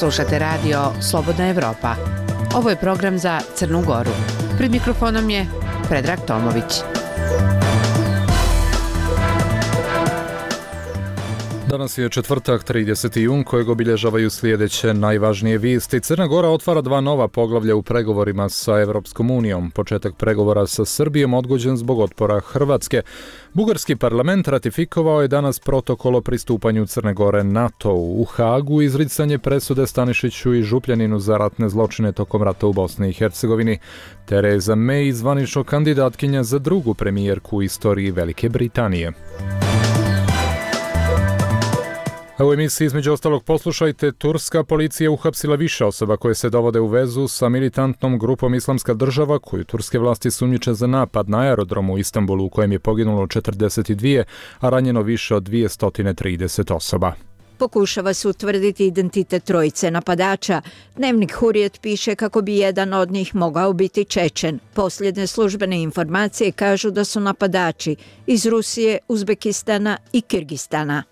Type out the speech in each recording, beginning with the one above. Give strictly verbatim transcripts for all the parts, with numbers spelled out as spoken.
Slušate radio Slobodna Evropa. Ovo je program za Crnu Goru. Pred mikrofonom je Predrag Tomović. Danas je četvrtak, trideseti jun, kojeg obilježavaju sljedeće najvažnije vijesti. Crna Gora otvara dva nova poglavlja u pregovorima sa Evropskom unijom. Početak pregovora sa Srbijom odgođen zbog otpora Hrvatske. Bugarski parlament ratifikovao je danas protokol o pristupanju Crne Gore NATO-u. U Hagu izricanje presude Stanišiću i Župljaninu za ratne zločine tokom rata u Bosni i Hercegovini. Tereza May zvanično kandidatkinja za drugu premijerku u istoriji Velike Britanije. A u emisiji između ostalog poslušajte, turska policija uhapsila više osoba koje se dovode u vezu sa militantnom grupom Islamska država, koju turske vlasti sumnjiče za napad na aerodromu u Istanbulu u kojem je poginulo četrdeset dvije, a ranjeno više od dvjesto trideset osoba. Pokušava se utvrditi identitet trojice napadača. Dnevnik Hurrijet piše kako bi jedan od njih mogao biti Čečen. Posljednje službene informacije kažu da su napadači iz Rusije, Uzbekistana i Kirgistana.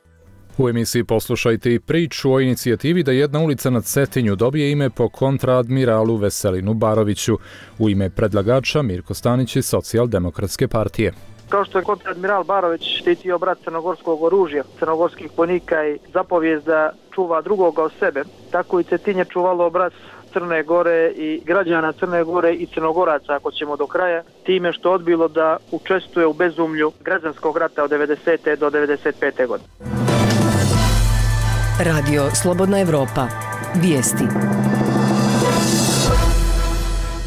U emisiji poslušajte i priču o inicijativi da jedna ulica na Cetinju dobije ime po kontraadmiralu Veselinu Baroviću. U ime predlagača Mirko Stanić iz Socijaldemokratske partije. Kao što je kontradmiral Barović štitio brat crnogorskog oružja, crnogorskih vojnika i zapovijest da čuva drugoga od sebe, tako i Cetinje čuvalo obraz Crne Gore i građana Crne Gore i Crnogoraca, ako ćemo do kraja, time što odbilo da učestvuje u bezumlju građanskog rata od devedesete do devedeset pete godine. Radio Slobodna Evropa. Vijesti.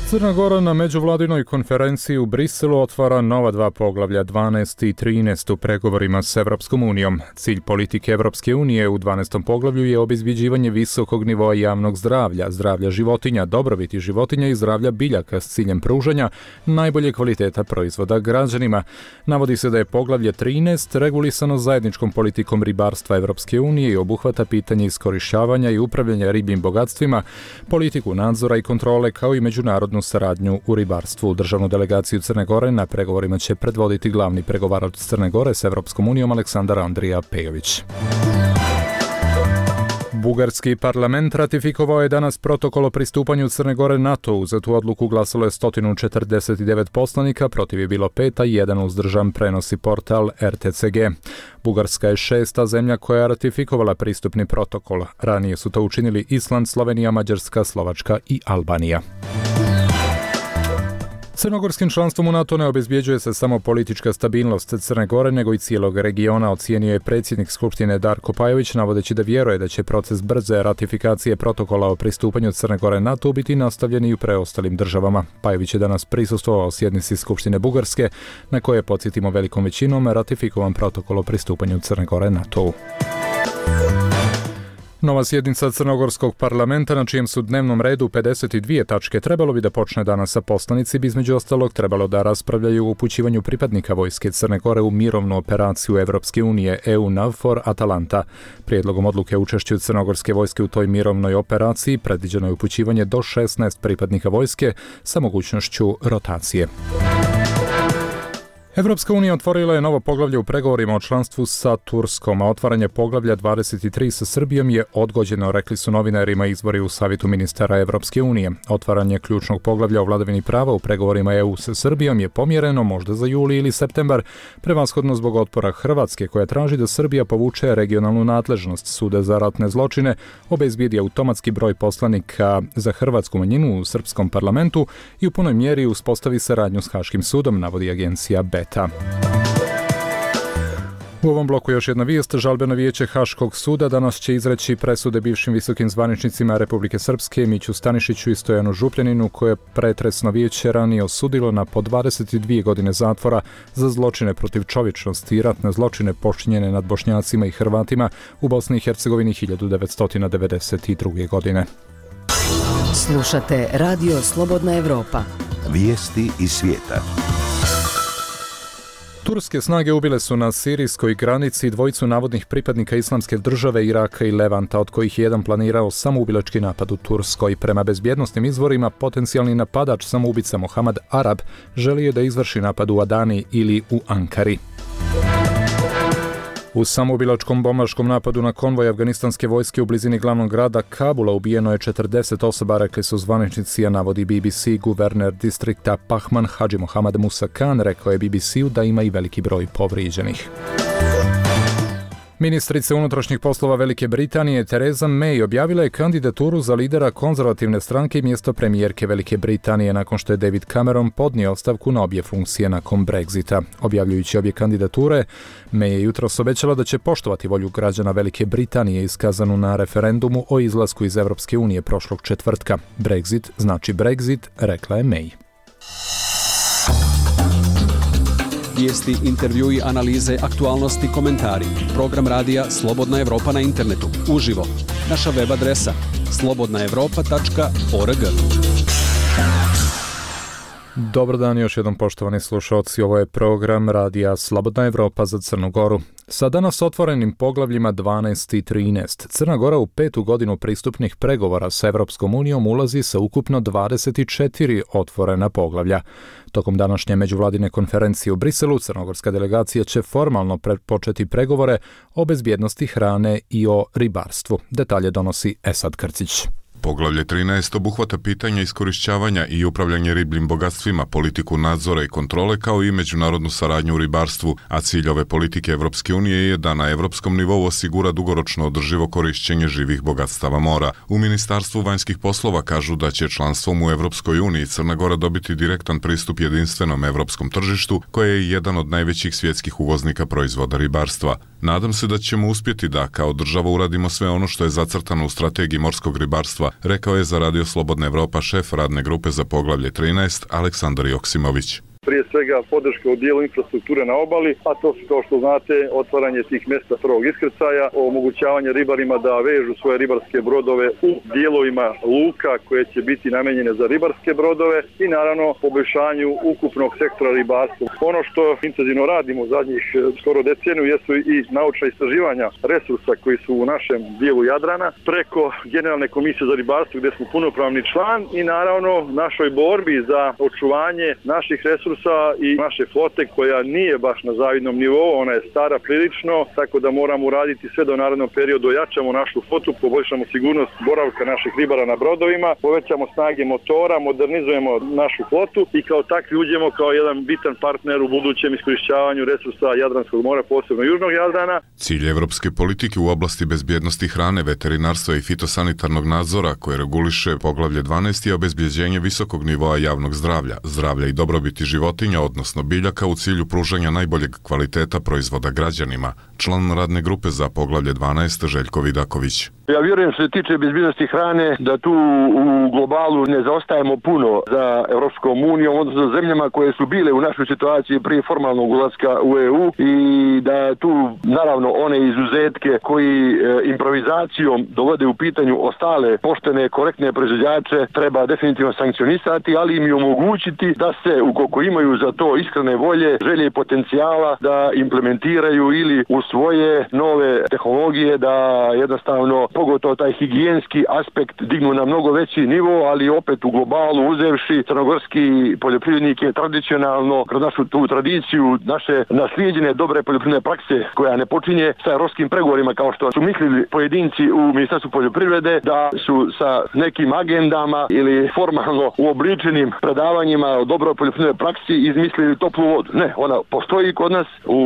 Crna Gora na međuvladinoj konferenciji u Briselu otvara nova dva poglavlja, dvanaest i trinaest, u pregovorima s Evropskom unijom. Cilj politike Evropske unije u dvanaestom poglavlju je obezbjeđivanje visokog nivoa javnog zdravlja, zdravlja životinja, dobrobiti životinja i zdravlja biljaka s ciljem pružanja najbolje kvaliteta proizvoda građanima. Navodi se da je poglavlje trinaest regulisano zajedničkom politikom ribarstva Evropske unije i obuhvata pitanje iskorištavanja i upravljanja ribljim bogatstvima, politiku nadzora i kontrole kao i međunarodnu saradnju u ribarstvu. Državnu delegaciju Crne Gore na pregovorima će predvoditi glavni pregovarač Crne Gore s Evropskom unijom Aleksandar Andrija Pejović. Bugarski parlament ratifikovao je danas protokol o pristupanju Crne Gore NATO-u. Za tu odluku glasalo je sto četrdeset devet poslanika, protiv je bilo pet, a jedan uzdržan, prenosi portal R T C G. Bugarska je šesta zemlja koja je ratifikovala pristupni protokol. Ranije su to učinili Island, Slovenija, Mađarska, Slovačka i Albanija. Crnogorskim članstvom u NATO ne obezbjeđuje se samo politička stabilnost Crne Gore, nego i cijelog regiona, ocijenio je predsjednik Skupštine Darko Pajović, navodeći da vjeruje da će proces brze ratifikacije protokola o pristupanju Crne Gore NATO biti nastavljen i u preostalim državama. Pajović je danas prisustvovao sjednici Skupštine Bugarske, na koje je, podsjetimo, velikom većinom ratifikovan protokol o pristupanju Crne Gore NATO-u. Nova sjednica Crnogorskog parlamenta, na čijem su dnevnom redu pedeset dvije tačke, trebalo bi da počne danas, sa poslanici bi između ostalog trebalo da raspravljaju o upućivanju pripadnika vojske Crne Gore u mirovnu operaciju Evropske unije E U NAVFOR Atalanta. Prijedlogom odluke o učešću crnogorske vojske u toj mirovnoj operaciji predviđeno je upućivanje do šesnaest pripadnika vojske sa mogućnošću rotacije. Evropska unija otvorila je novo poglavlje u pregovorima o članstvu sa Turskom, a otvaranje poglavlja dvadeset tri sa Srbijom je odgođeno, rekli su novinarima izvori u Savjetu ministara Evropske unije. Otvaranje ključnog poglavlja o vladavini prava u pregovorima E U sa Srbijom je pomjereno možda za juli ili septembar, prevashodno zbog otpora Hrvatske, koja traži da Srbija povuče regionalnu nadležnost Suda za ratne zločine, obezbijedi automatski broj poslanika za hrvatsku manjinu u srpskom parlamentu i u punoj mjeri uspostavi saradnju s Haškim sudom, navodi agencija B. U ovom bloku još jedna vijest. Žalbeno vijeće Haškog suda danas će izreći presude bivšim visokim zvaničnicima Republike Srpske Miću Stanišiću i Stojanu Župljaninu, koje je pretresno vijeće ranije osudilo na po dvadeset dvije godine zatvora za zločine protiv čovječnosti i ratne zločine počinjene nad Bošnjacima i Hrvatima u Bosni i Hercegovini hiljadu devetsto devedeset druge. godine. Slušate Radio Slobodna Evropa. Vijesti iz svijeta. Turske snage ubile su na sirijskoj granici dvojicu navodnih pripadnika Islamske države, Iraka i Levanta, od kojih je jedan planirao samoubilački napad u Turskoj. Prema bezbjednosnim izvorima, potencijalni napadač samoubica Mohamed Arab želio da izvrši napad u Adani ili u Ankari. U samoubilačkom bombaškom napadu na konvoj afganistanske vojske u blizini glavnog grada Kabula ubijeno je četrdeset osoba, rekli su zvaničnici, a navodi B B C. Guverner distrikta Pahman Hadži Mohammad Musa Khan rekao je B B C-u da ima i veliki broj povrijeđenih. Ministrica unutrašnjih poslova Velike Britanije Theresa May objavila je kandidaturu za lidera konzervativne stranke i mjesto premijerke Velike Britanije nakon što je David Cameron podnio ostavku na obje funkcije nakon Brexita. Objavljujući obje kandidature, May je jutros obećala da će poštovati volju građana Velike Britanije iskazanu na referendumu o izlasku iz Europske unije prošlog četvrtka. Brexit znači Brexit, rekla je May. Vijesti, intervjui, analize, aktualnosti, komentari. Program radija Slobodna Evropa na internetu. Uživo. Naša web adresa slobodna evropa tačka org. Dobar dan još jednom, poštovani slušalci, ovo je program radija Slobodna Evropa za Crnu Goru. Sa danas otvorenim poglavljima dvanaest i trinaest, Crna Gora u petu godinu pristupnih pregovora sa Evropskom unijom ulazi sa ukupno dvadeset četiri otvorena poglavlja. Tokom današnje međuvladine konferencije u Briselu, crnogorska delegacija će formalno početi pregovore o bezbjednosti hrane i o ribarstvu. Detalje donosi Esad Krcić. Poglavlje trinaest obuhvata pitanja iskorišćavanja i upravljanje ribljim bogatstvima, politiku nadzora i kontrole kao i međunarodnu saradnju u ribarstvu, a cilj ove politike Evropske unije je da na evropskom nivou osigura dugoročno održivo korišćenje živih bogatstava mora. U Ministarstvu vanjskih poslova kažu da će članstvom u Evropskoj uniji Crna Gora dobiti direktan pristup jedinstvenom evropskom tržištu, koje je jedan od najvećih svjetskih uvoznika proizvoda ribarstva. Nadam se da ćemo uspjeti da kao država uradimo sve ono što je zacrtano u strategiji morskog ribarstva, rekao je za Radio Slobodna Evropa šef radne grupe za poglavlje trinaest Aleksandar Joksimović. Prije svega podrška u dijelu infrastrukture na obali, a to su, kao što znate, otvaranje tih mjesta prvog iskrcaja, omogućavanje ribarima da vežu svoje ribarske brodove u dijelovima luka koje će biti namijenjene za ribarske brodove i naravno poboljšanju ukupnog sektora ribarstva. Ono što intenzivno radimo u zadnjih skoro deceniju jesu i naučna istraživanja resursa koji su u našem dijelu Jadrana preko Generalne komisije za ribarstvo gdje smo punopravni član i naravno našoj borbi za očuvanje naših resursa i naše flote koja nije baš na zavidnom nivou, ona je stara prilično, tako da moramo uraditi sve do narednog perioda, ojačamo našu flotu, poboljšamo sigurnost boravka naših ribara na brodovima, povećamo snage motora, modernizujemo našu flotu i kao takvi uđemo kao jedan bitan partner u budućem iskorišćavanju resursa Jadranskog mora, posebno Južnog Jadrana. Cilj evropske politike u oblasti bezbjednosti hrane, veterinarstva i fitosanitarnog nadzora koje reguliše poglavlje dvanaest je obezbjeđenje visokog nivoa javnog zdravlja, zdravlja i dobrobiti života životinja, odnosno biljaka, u cilju pružanja najboljeg kvaliteta proizvoda građanima. Član radne grupe za poglavlje dvanaest Željko Vidaković. Ja vjerujem što se tiče bezbjednosti hrane da tu u globalu ne zaostajemo puno za Evropskom unijom, odnosno zemljama koje su bile u našoj situaciji prije formalnog ulaska u E U i da tu naravno one izuzetke koji e, improvizacijom dovode u pitanju ostale poštene, korektne proizvođače treba definitivno sankcionisati, ali im i omogućiti da se, ukoliko imaju za to iskrene volje, želje i potencijala, da implementiraju ili u svoje nove tehnologije, da jednostavno pogotovo taj higijenski aspekt dignu na mnogo veći nivo, ali opet u globalu uzevši crnogorski poljoprivrednik je tradicionalno kroz našu tu tradiciju, naše naslijeđene dobre poljoprivredne prakse koja ne počinje sa europskim pregovorima kao što su mislili pojedinci u Ministarstvu poljoprivrede da su sa nekim agendama ili formalno uobličenim predavanjima o dobroj poljoprivrednoj praksi izmislili toplu vodu. Ne, ona postoji kod nas u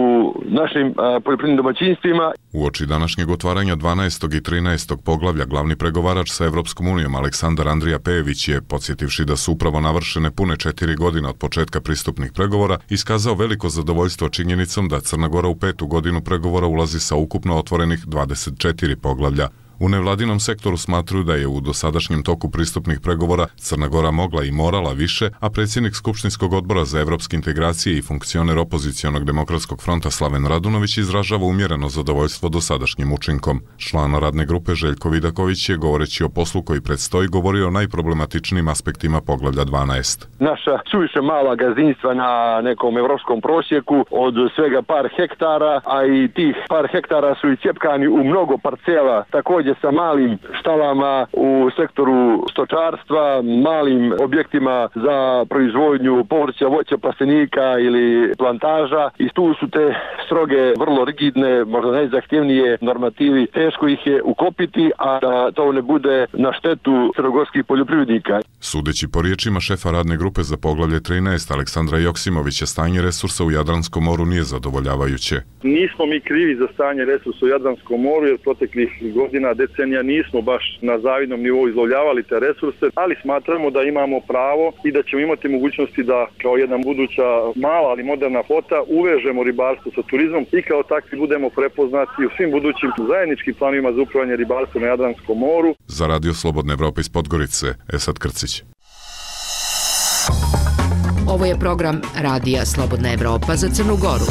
našim a, poljoprivrednim domaćinstvima. Uoči današnjeg otvaranja dvanaestog i trinaestog poglavlja glavni pregovarač sa Evropskom unijom Aleksandar Andrija Pejević je, podsjetivši da su upravo navršene pune četiri godine od početka pristupnih pregovora, iskazao veliko zadovoljstvo činjenicom da Crna Gora u petu godinu pregovora ulazi sa ukupno otvorenih dvadeset četiri poglavlja. U nevladinom sektoru smatruju da je u dosadašnjem toku pristupnih pregovora Crna Gora mogla i morala više, a predsjednik Skupštinskog odbora za evropske integracije i funkcioner opozicionog demokratskog fronta Slaven Radunović izražava umjereno zadovoljstvo dosadašnjim učinkom. Član radne grupe Željko Vidaković je, govoreći o poslu koji predstoji, govorio o najproblematičnijim aspektima poglavlja dvanaest. Naša suviše mala gazdinstva na nekom evropskom prosjeku od svega par hektara, a i tih par hektara su i cjepkani u mnogo parcela, također poređe sa malim štalama u sektoru stočarstva, malim objektima za proizvodnju povrća, voća, plastenika ili plantaža i tu su te stroge, vrlo rigidne, možda najzahtjevnije normativi. Teško ih je ukopiti, a da to ne bude na štetu crnogorskih poljoprivrednika. Sudeći po riječima šefa radne grupe za poglavlje trinaest Aleksandra Joksimovića, stanje resursa u Jadranskom moru nije zadovoljavajuće. Nismo mi krivi za stanje resursa u Jadranskom moru, jer proteklih godina, decenija nismo baš na zavidnom nivou izlovljavali te resurse, ali smatramo da imamo pravo i da ćemo imati mogućnosti da kao jedna buduća mala ali moderna flota uvežemo ribarstvo sa turizmom i kao takvi budemo prepoznati u svim budućim zajedničkim planovima za upravljanje ribarstva na Jadranskom moru. Za Radio Slobodna Evropa iz Podgorice, Esad Krcić. Ovo je program Radija Slobodna Evropa za Crnu Goru.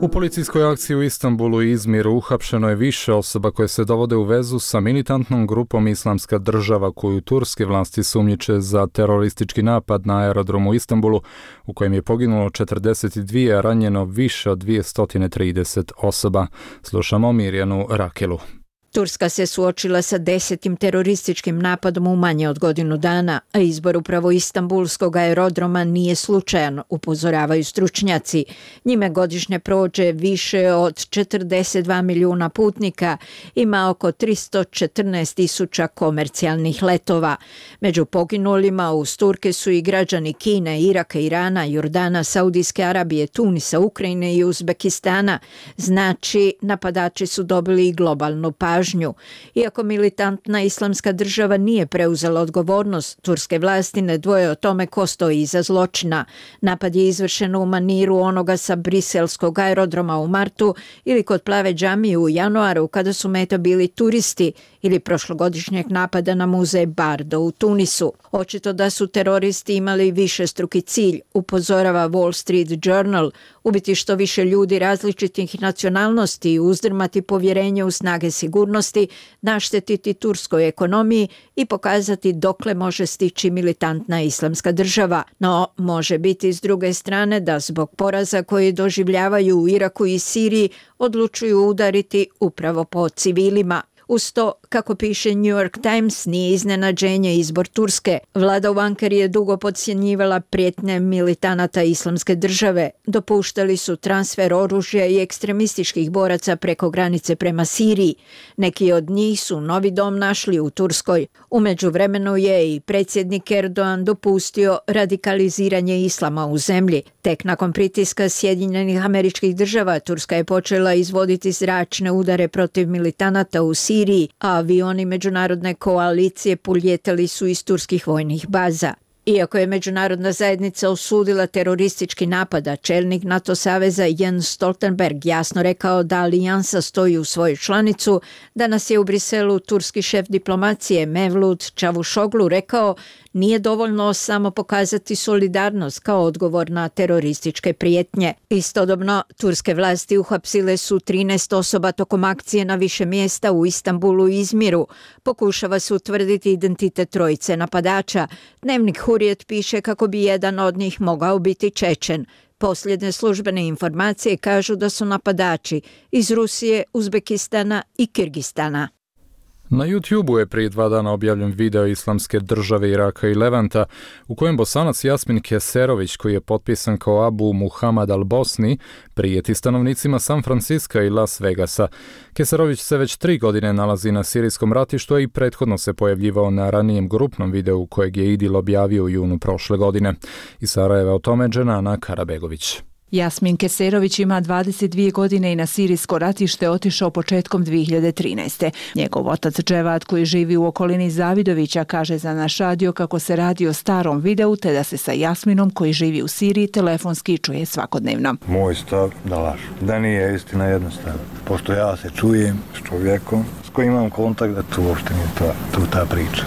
U policijskoj akciji u Istanbulu i Izmiru uhapšeno je više osoba koje se dovode u vezu sa militantnom grupom Islamska država koju turske vlasti sumnjiče za teroristički napad na aerodromu u Istanbulu u kojem je poginulo četrdeset dvije, a ranjeno više od dvjesto trideset osoba. Slušamo Mirjanu Rakelu. Turska se suočila sa desetim terorističkim napadom u manje od godinu dana, a izbor upravo Istanbulskog aerodroma nije slučajan, upozoravaju stručnjaci. Njime godišnje prođe više od četrdeset dva milijuna putnika, ima oko tristo četrnaest tisuća komercijalnih letova. Među poginulima uz Turke su i građani Kine, Iraka, Irana, Jordana, Saudijske Arabije, Tunisa, Ukrajine i Uzbekistana. Znači, napadači su dobili i globalnu pažnju. Iako militantna Islamska država nije preuzela odgovornost, turske vlasti ne dvoje o tome ko stoji iza zločina. Napad je izvršen u maniru onoga sa briselskog aerodroma u martu ili kod Plave džamije u januaru kada su meta bili turisti ili prošlogodišnjeg napada na muzej Bardo u Tunisu. Očito da su teroristi imali višestruki cilj, upozorava Wall Street Journal, ubiti što više ljudi različitih nacionalnosti i uzdrmati povjerenje u snage sigurnosti, naštetiti turskoj ekonomiji i pokazati dokle može stići militantna Islamska država. No, može biti s druge strane da zbog poraza koji doživljavaju u Iraku i Siriji odlučuju udariti upravo po civilima. Uz to, kako piše New York Times, nije iznenađenje izbor Turske. Vlada u Ankari je dugo podcjenjivala prijetnje militanata Islamske države. Dopuštali su transfer oružja i ekstremističkih boraca preko granice prema Siriji. Neki od njih su novi dom našli u Turskoj. U međuvremenu je i predsjednik Erdogan dopustio radikaliziranje islama u zemlji. Tek nakon pritiska Sjedinjenih Američkih Država, Turska je počela izvoditi zračne udare protiv militanata u Siriji, a avioni međunarodne koalicije puljetali su iz turskih vojnih baza. Iako je međunarodna zajednica osudila teroristički napad, a čelnik NATO saveza Jens Stoltenberg jasno rekao da alijansa stoji u svoju članicu, danas je u Briselu turski šef diplomacije Mevlut Čavuşoglu rekao nije dovoljno samo pokazati solidarnost kao odgovor na terorističke prijetnje. Istodobno, turske vlasti uhapsile su trinaest osoba tokom akcije na više mjesta u Istanbulu i Izmiru. Pokušava se utvrditi identitet trojice napadača. Dnevnik Hurriyet piše kako bi jedan od njih mogao biti Čečen. Posljednje službene informacije kažu da su napadači iz Rusije, Uzbekistana i Kirgistana. Na YouTubeu je prije dva dana objavljen video Islamske države Iraka i Levanta u kojem Bosanac Jasmin Keserović, koji je potpisan kao Abu Muhammad al-Bosni, prijeti stanovnicima San Francisca i Las Vegasa. Keserović se već tri godine nalazi na sirijskom ratištu, a i prethodno se pojavljivao na ranijem grupnom videu kojeg je Idil objavio u junu prošle godine. Iz Sarajeva o tome Dženana Karabegović. Jasmin Keserović ima dvadeset dvije godine i na sirijsko ratište otišao početkom dvije hiljade trinaeste. Njegov otac Dževad, koji živi u okolini Zavidovića, kaže za naš radio kako se radi o starom videu te da se sa Jasminom, koji živi u Siriji, telefonski čuje svakodnevno. Moj stav da lažu, da nije istina jednostavno. Pošto ja se čujem s čovjekom s kojim imam kontakt, da tu uopšte nije ta, tu ta priča.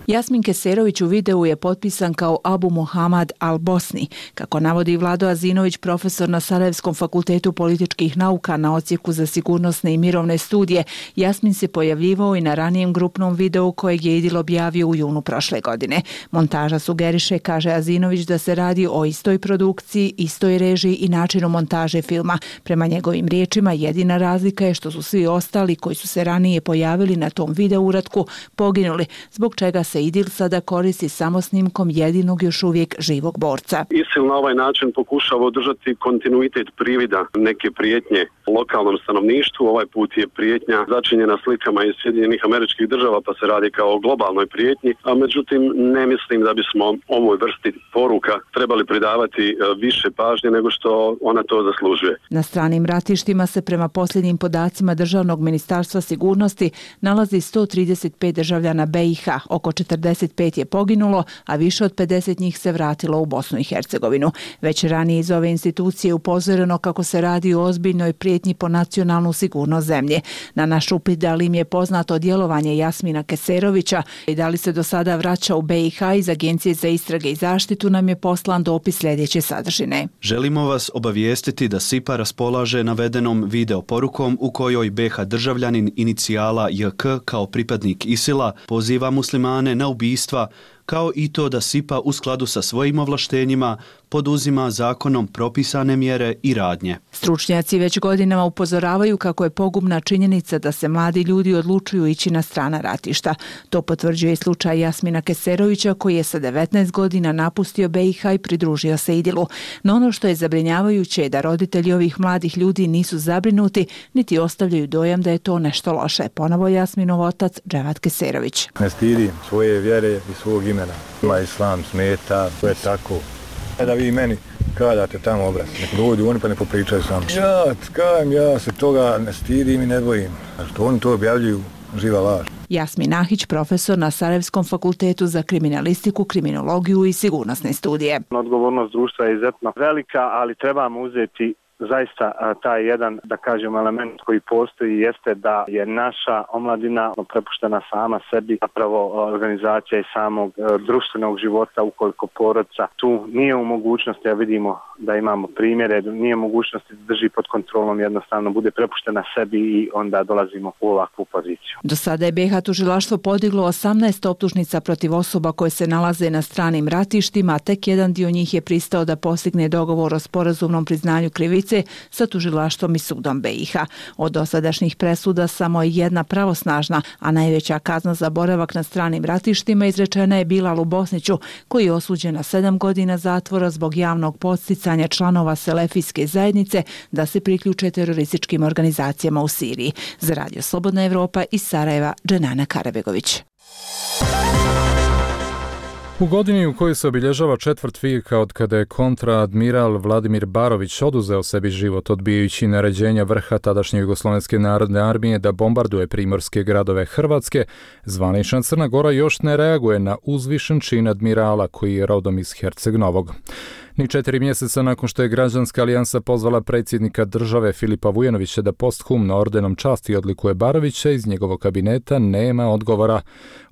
Jasmin Keserović u videu je potpisan kao Abu Muhammad al-Bosni. Kako navodi Vlado Azinović, profesor na Sarajevskom fakultetu političkih nauka na odsjeku za sigurnosne i mirovne studije, Jasmin se pojavljivao i na ranijem grupnom videu kojeg je Idil objavio u junu prošle godine. Montaža sugeriše, kaže Azinović, da se radi o istoj produkciji, istoj režiji i načinu montaže filma. Prema njegovim riječima, jedina razlika je što su svi ostali koji su se ranije pojavili na tom video uratku poginuli, zbog čega se Idil sada koristi samo snimkom jedinog još uvijek živog borca. ISIL na ovaj način pokušava održati kontinuitet privida neke prijetnje lokalnom stanovništvu. Ovaj put je prijetnja začinjena slikama iz Sjedinjenih Američkih Država, pa se radi kao o globalnoj prijetnji, a međutim ne mislim da bismo ovoj vrsti poruka trebali pridavati više pažnje nego što ona to zaslužuje. Na stranim ratištima se prema posljednjim podacima Državnog ministarstva sigurnosti nalazi sto trideset pet državljana B i H, oko četrdeset pet je poginulo, a više od pedeset njih se vratilo u Bosnu i Hercegovinu. Već ranije iz ove institucije upozoreno kako se radi o ozbiljnoj prijetnji po nacionalnu sigurnost zemlje. Na naš upit da li im je poznato djelovanje Jasmina Keserovića i da li se do sada vraća u B i H, iz Agencije za istrage i zaštitu nam je poslan dopis sljedeće sadržine. Želimo vas obavijestiti da S I P A raspolaže navedenom video porukom u kojoj B H državljanin inicijala J K kao pripadnik ISIL-a poziva muslimane na ubistva, kao i to da S I P A u skladu sa svojim ovlaštenjima poduzima zakonom propisane mjere i radnje. Stručnjaci već godinama upozoravaju kako je pogubna činjenica da se mladi ljudi odlučuju ići na strana ratišta. To potvrđuje slučaj Jasmina Keserovića, koji je sa devetnaest godina napustio B i H i pridružio se Idilu. No ono što je zabrinjavajuće je da roditelji ovih mladih ljudi nisu zabrinuti, niti ostavljaju dojam da je to nešto loše. Ponovo Jasminov otac Dževat Keserović. Ne stidim svoje vjere i svog imena. Ma islam smeta, to je tako. Da vi meni kadate tamo obraz, nek dođu oni pa ne popričaju sam. Ja, kajem, ja se toga ne stidim i ne bojim. Što oni to objavljuju, živa laž. Jasmin Nahić, profesor na Sarajevskom fakultetu za kriminalistiku, kriminologiju i sigurnosne studije. Odgovornost društva je izuzetno velika, ali trebamo uzeti zaista taj jedan, da kažem, element koji postoji jeste da je naša omladina prepuštena sama sebi, zapravo organizacija i samog društvenog života, ukoliko porodica tu nije u mogućnosti, a vidimo da imamo primjere, nije u mogućnosti da drži pod kontrolom, jednostavno bude prepuštena sebi i onda dolazimo u ovakvu poziciju. Do sada je B H tužilaštvo podiglo osamnaest optužnica protiv osoba koje se nalaze na stranim ratištima, a tek jedan dio njih je pristao da postigne dogovor o sporazumnom priznanju krivice sa tužilaštvom i sudom B i H. Od dosadašnjih presuda samo je jedna pravosnažna, a najveća kazna za boravak na stranim ratištima izrečena je Bilalu Bosniću, koji je osuđen na sedam godina zatvora zbog javnog podsticanja članova selefijske zajednice da se priključe terorističkim organizacijama u Siriji. Za Radio Slobodna Evropa iz Sarajeva, Dženana Karabegović. U godini u kojoj se obilježava četvrt vijeka od kada je kontraadmiral Vladimir Barović oduzeo sebi život odbijajući naređenja vrha tadašnje Jugoslovenske narodne armije da bombarduje primorske gradove Hrvatske, zvanična Crna Gora još ne reaguje na uzvišen čin admirala koji je rodom iz Herceg Novog. Ni četiri mjeseca nakon što je Građanska alijansa pozvala predsjednika države Filipa Vujanovića da posthumno ordenom časti odlikuje Barovića, iz njegovog kabineta nema odgovora.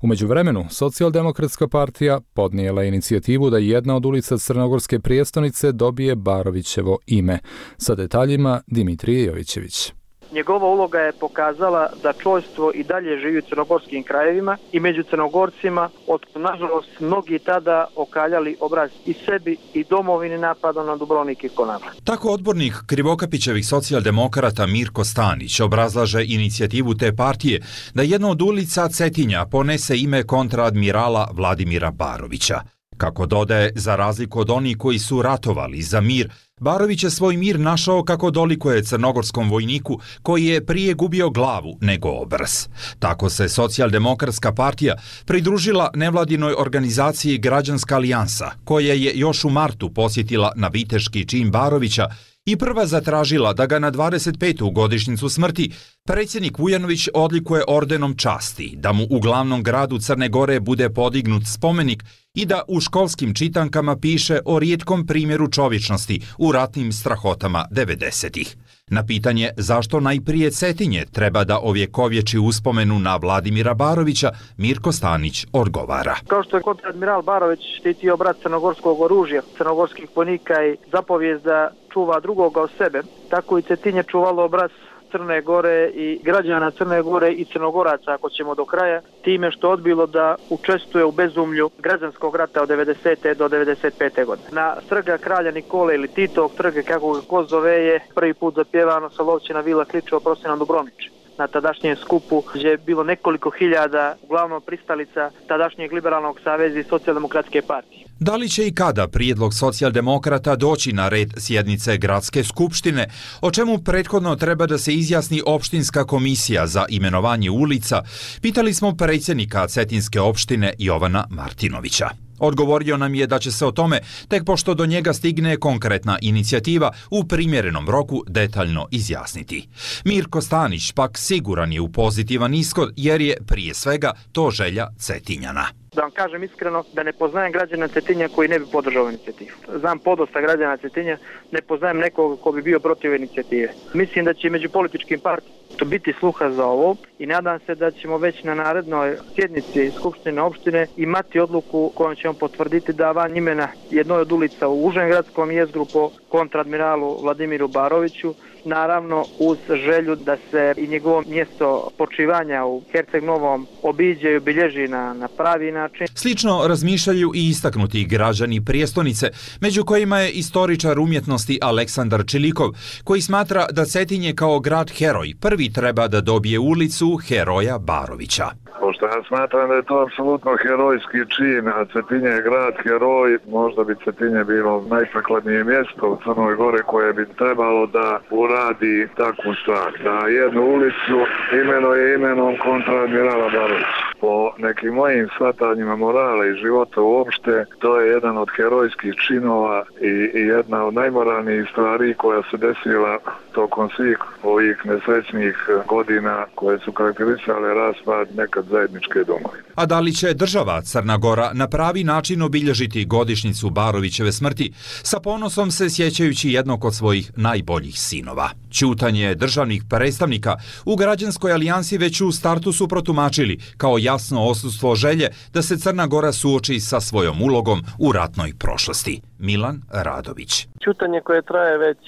U međuvremenu, Socijaldemokratska partija podnijela inicijativu da jedna od ulica Crnogorske prijestolnice dobije Barovićevo ime. Sa detaljima Dimitrije Jovićević. Njegova uloga je pokazala da čojstvo i dalje živi u crnogorskim krajevima i među Crnogorcima, od nažalost mnogi tada okaljali obraz i sebi i domovini napadom na Dubrovnik i Konavle. Tako odbornik Krivokapićevih socijaldemokrata Mirko Stanić obrazlaže inicijativu te partije da jedna od ulica Cetinja ponese ime kontraadmirala Vladimira Barovića. Kako dodaje, za razliku od onih koji su ratovali za mir, Barović je svoj mir našao kako dolikuje crnogorskom vojniku koji je prije gubio glavu nego obraz. Tako se Socijaldemokratska partija pridružila nevladinoj organizaciji Građanska alijansa, koja je još u martu posjetila na viteški čin Barovića i prva zatražila da ga na dvadeset petu godišnjicu smrti predsjednik Vujanović odlikuje ordenom časti, da mu u glavnom gradu Crne Gore bude podignut spomenik i da u školskim čitankama piše o rijetkom primjeru čovječnosti u ratnim strahotama devedesetih. Na pitanje zašto najprije Cetinje treba da ovjekovječi uspomenu na Vladimira Barovića, Mirko Stanić odgovara. Kao što je kontradmiral Barović štitio brat crnogorskog oružja, crnogorskih vojnika i zapovijest da čuva drugoga od sebe, tako i Cetinje čuvalo obraz Crne Gore i građana Crne Gore i Crnogoraca, ako ćemo do kraja, time što odbilo da učestvuje u bezumlju građanskog rata od devedesete do devedeset pete godine. Na trga kralja Nikole ili Titovog trga, kako ga ko zove, je prvi put zapjevano Solovćina Vila Kličeva Prosina Dubrovnić. Na tadašnjem skupu gdje je bilo nekoliko hiljada, uglavnom pristalica tadašnjeg liberalnog saveza i socijaldemokratske partije. Da li će i kada prijedlog socijaldemokrata doći na red sjednice Gradske skupštine, o čemu prethodno treba da se izjasni opštinska komisija za imenovanje ulica, pitali smo predsjednika Cetinske opštine Jovana Martinovića. Odgovorio nam je da će se o tome, tek pošto do njega stigne konkretna inicijativa, u primjerenom roku detaljno izjasniti. Mirko Stanić pak siguran je u pozitivan ishod jer je prije svega to želja Cetinjana. Da vam kažem iskreno da ne poznajem građana Cetinja koji ne bi podržao inicijativu. Znam podosta građana Cetinja, ne poznajem nekog ko bi bio protiv inicijative. Mislim da će među političkim partijama biti sluha za ovo i nadam se da ćemo već na narednoj sjednici Skupštine opštine imati odluku kojom ćemo potvrditi da van imena jednoj od ulica u užem gradskom jezgru po kontradmiralu Vladimiru Baroviću, naravno uz želju da se i njegovo mjesto počivanja u Herceg Novom obiđe i obilježi na, na pravi način. Slično razmišljaju i istaknuti građani prijestonice, među kojima je istoričar umjetnosti Aleksandar Čilikov, koji smatra da Cetinje kao grad heroj prvi treba da dobije ulicu heroja Barovića. Pošto ja smatram da je to apsolutno herojski čin, a Cetinje je grad heroj, možda bi Cetinje bilo najprikladnije mjesto u Crnoj Gore koje bi trebalo da uradi takvu stvar. Da jednu ulicu imenuje imenom kontradmirala Barovića. Po nekim mojim shvatanjima morala i života uopšte, to je jedan od herojskih činova i, i jedna od najmoralnijih stvari koja se desila tokom svih ovih nesrećnih godina koje su karakterisale raspad nekad zajedničke domovine. A da li će država Crna Gora na pravi način obilježiti godišnjicu Barovićeve smrti, sa ponosom se sjećajući jednog od svojih najboljih sinova? Ćutanje državnih predstavnika u Građanskoj alijansi već u startu su protumačili kao jasno odsustvo želje da se Crna Gora suoči sa svojom ulogom u ratnoj prošlosti. Milan Radović. Ćutanje koje traje već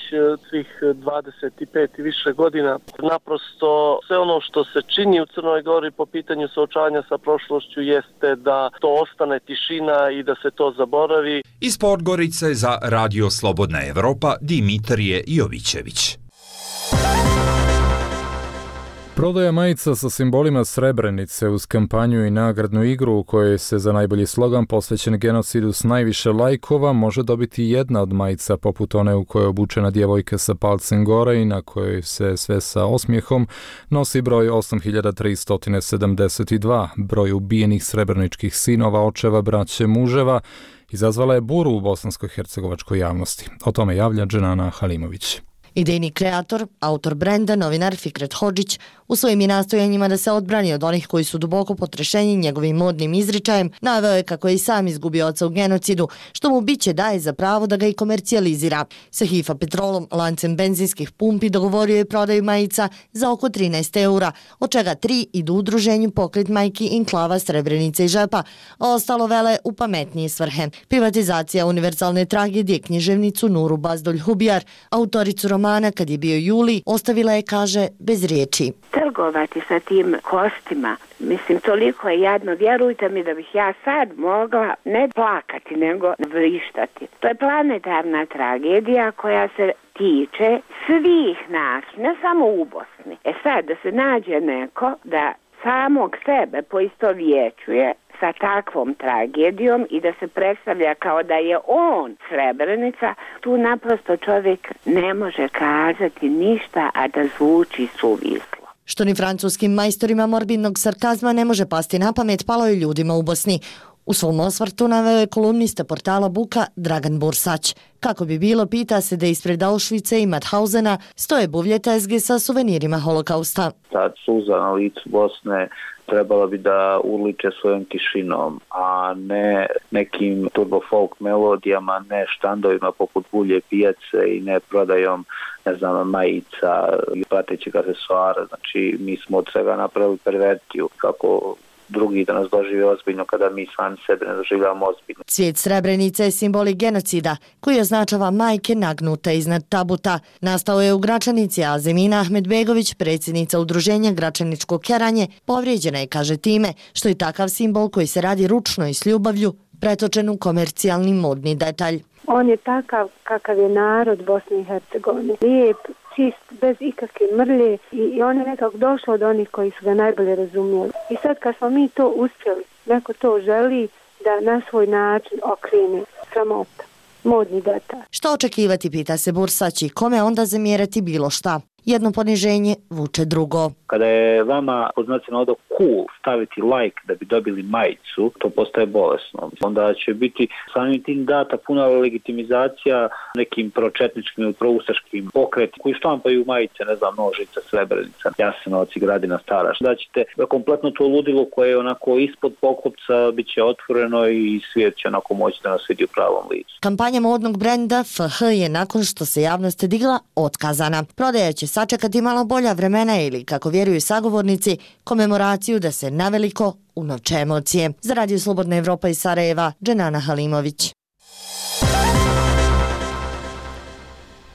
svih dvadeset pet i više godina, naprosto sve ono što se čini u Crnoj Gori po pitanju suočavanja sa prošlošću jeste da to ostane tišina i da se to zaboravi. Iz Podgorice za Radio Slobodna Evropa Dimitrije Jovićević. Prodaja majica sa simbolima Srebrenice uz kampanju i nagradnu igru u kojoj se za najbolji slogan posvećen genocidu s najviše lajkova može dobiti jedna od majica poput one u kojoj je obučena djevojka sa palcem gore i na kojoj se sve sa osmijehom nosi broj osam hiljada tristo sedamdeset dva, broj ubijenih srebreničkih sinova, očeva, braće, muževa, izazvala je buru u bosansko-hercegovačkoj javnosti. O tome javlja Dženana Halimović. Idejni kreator, autor brenda, novinar Fikret Hodžić, u svojim je nastojanjima da se odbrani od onih koji su duboko potrešeni njegovim modnim izričajem, naveo je kako je i sam izgubio oca u genocidu, što mu biće daje za pravo da ga i komercijalizira. Sa Hifa Petrolom, lancem benzinskih pumpi, dogovorio je prodaju majica za oko trinaest eura, od čega tri idu u udruženju Pokret majki Inklava Srebrenice i Žepa, a ostalo vele u pametnije svrhe. Privatizacija univerzalne tragedije književnicu Nuru Bazdolj Hubijar, autoricu romana Kad je bio juli, ostavila je, kaže, bez riječi. Trgovati sa tim kostima, mislim, toliko je jadno, vjerujte mi da bih ja sad mogla ne plakati, nego vrištati. To je planetarna tragedija koja se tiče svih nas, ne samo u Bosni. E sad, da se nađe neko da samog sebe poistovjećuje sa takvom tragedijom i da se predstavlja kao da je on Srebrenica, tu naprosto čovjek ne može kazati ništa, a da zvuči suvislo. Što ni francuskim majstorima morbidnog sarkazma ne može pasti na pamet, palo je ljudima u Bosni. U svom osvrtu naveo je kolumnista portala Buka Dragan Bursać. Kako bi bilo, pita se da ispred Auschwitza i Mauthausena stoje buvlje tezge sa suvenirima holokausta. Ta suza na licu Bosne trebala bi da uliče svojom tišinom, a ne nekim turbo folk melodijama, ne štandovima poput bulje pijace i ne prodajom, ne znam, majica i pratećeg aksesuara. Znači, mi smo od svega napravili pervertiju kako drugi da nas dožive ozbiljno kada mi sami sebe ne doživljavamo ozbiljno. Cvijet Srebrenice je simbolik genocida koji označava majke nagnute iznad tabuta. Nastao je u Gračanici, a Zemina Ahmedbegović, predsjednica udruženja Gračaničko keranje, povrijeđena je, kaže, time što je takav simbol koji se radi ručno i s ljubavlju pretočen u komercijalni modni detalj. On je takav kakav je narod Bosne i Hercegovine. Lijep, čist, bez ikakve mrlje i, i on je nekako došao od onih koji su ga najbolje razumjeli. I sad kad smo mi to uspjeli, neko to želi da na svoj način okrene, sramota, modni detalj. Što očekivati, pita se Bursać, i kome onda zamjerati bilo šta? Jedno poniženje vuče drugo. Kada je vama pod znacima navoda cool staviti like da bi dobili majicu, to postaje bolesno. Onda će biti samim tim data puna legitimizacija nekim pročetničkim ili proustaškim pokretima koji štampaju majice, ne znam, Nožica, Srebrenica, Jasenovac i Gradina Stara. Da ćete kompletno to ludilo koje je onako ispod poklopca bit će otvoreno i svijet će onako moći da nas vidi u pravom licu. Kampanja modnog brenda F H je nakon što se javnost digla otkazana. Prodaja će sačekati malo bolja vremena ili, kako vjeruju sagovornici, komemoraciju da se naveliko unovče emocije. Za Radio Slobodna Evropa iz Sarajeva, Dženana Halimović.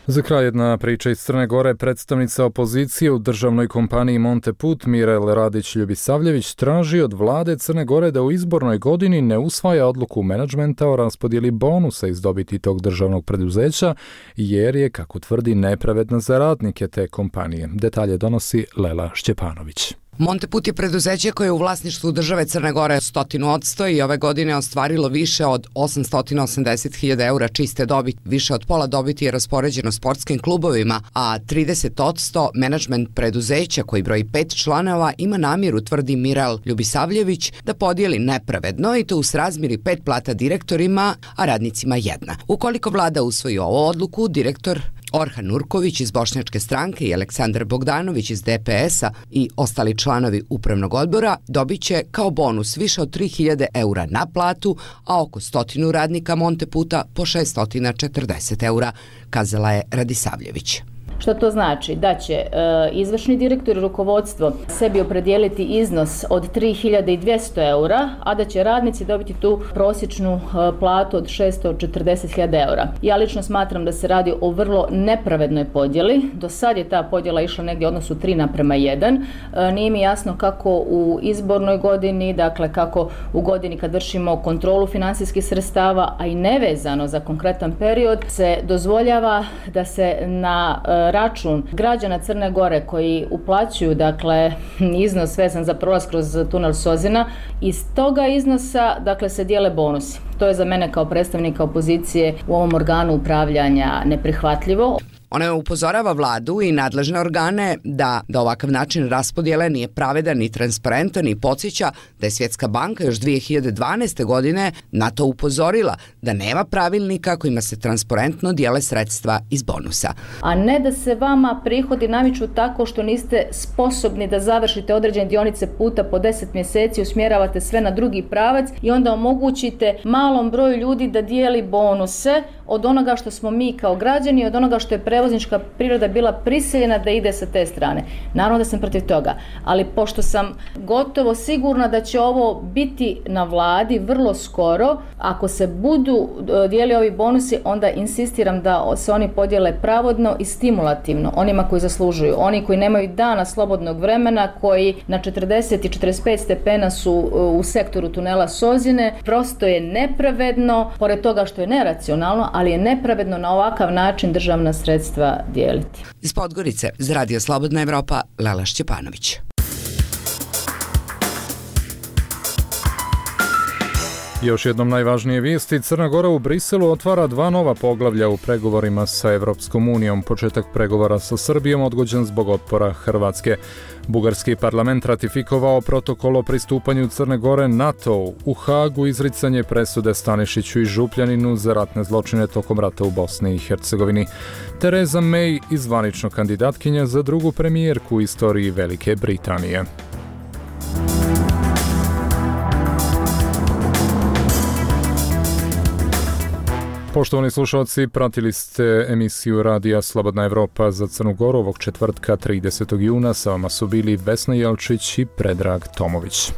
Za kraj jedna priča iz Crne Gore. Predstavnica opozicije u državnoj kompaniji Monteput Mirel Radić-Ljubisavljević traži od vlade Crne Gore da u izbornoj godini ne usvaja odluku menadžmenta o raspodjeli bonusa iz dobiti tog državnog preduzeća, jer je, kako tvrdi, nepravedna za radnike te kompanije. Detalje donosi Lela Šćepanović. Monteput je preduzeće koje je u vlasništvu države Crne Gore stotinu odsto i ove godine ostvarilo više od osamsto osamdeset hiljada eura čiste dobiti. Više od pola dobiti je raspoređeno sportskim klubovima, a trideset odsto menadžment preduzeća koji broji pet članova ima namjeru, tvrdi Mirel Ljubisavljević, da podijeli nepravedno i to u srazmjeri pet plata direktorima, a radnicima jedna. Ukoliko vlada usvoji ovu odluku, direktor Orhan Nurković iz Bošnjačke stranke i Aleksandar Bogdanović iz D P S-a i ostali članovi upravnog odbora dobit će kao bonus više od tri hiljade eura na platu, a oko stotinu radnika Monteputa po šesto četrdeset eura, kazala je Radisavljević. Što to znači? Da će e, izvršni direktor i rukovodstvo sebi opredijeliti iznos od tri hiljade dvjesto eura, a da će radnici dobiti tu prosječnu e, platu od šesto četrdeset hiljada eura. Ja lično smatram da se radi o vrlo nepravednoj podjeli. Do sad je ta podjela išla negdje u odnosu tri naprema jedan. E, nije mi jasno kako u izbornoj godini, dakle kako u godini kad vršimo kontrolu financijskih sredstava, a i nevezano za konkretan period, se dozvoljava da se na e, račun građana Crne Gore koji uplaćuju, dakle, iznos vezan za prolaz kroz tunel Sozina, iz toga iznosa, dakle, se dijele bonusi. To je za mene kao predstavnika opozicije u ovom organu upravljanja neprihvatljivo. Ona upozorava vladu i nadležne organe da, da ovakav način raspodjele nije pravedan ni transparentan i podsjeća da je Svjetska banka još dvije hiljade dvanaeste. godine na to upozorila da nema pravilnika kojima se transparentno dijele sredstva iz bonusa. A ne da se vama prihodi naviču tako što niste sposobni da završite određene dionice puta po deset mjeseci, usmjeravate sve na drugi pravac i onda omogućite malom broju ljudi da dijeli bonuse od onoga što smo mi kao građani, od onoga što je prevoznička priroda bila prisiljena da ide sa te strane. Naravno da sam protiv toga, ali pošto sam gotovo sigurna da će ovo biti na vladi vrlo skoro, ako se budu dijeli ovi bonusi, onda insistiram da se oni podijele pravodno i stimulativno onima koji zaslužuju. Oni koji nemaju dana slobodnog vremena, koji na četrdeset i četrdeset pet stepena su u sektoru tunela Sozine, prosto je nepravedno, pored toga što je neracionalno, ali je nepravedno na ovakav način državna sredstva dijeliti. Iz Podgorice, za Radio Slobodna Evropa, Lela Šćepanović. Još jednom najvažnije vijesti, Crna Gora u Briselu otvara dva nova poglavlja u pregovorima sa Evropskom unijom. Početak pregovora sa Srbijom odgođen zbog otpora Hrvatske. Bugarski parlament ratifikovao protokol o pristupanju Crne Gore NATO-u. U Hagu izricanje presude Stanišiću i Župljaninu za ratne zločine tokom rata u Bosni i Hercegovini. Theresa May izvanično kandidatkinja za drugu premijerku u istoriji Velike Britanije. Poštovani slušalci, pratili ste emisiju Radija Slobodna Evropa za Crnu Goru ovog četvrtka tridesetog juna. Sa vama su bili Vesna Jelčić i Predrag Tomović.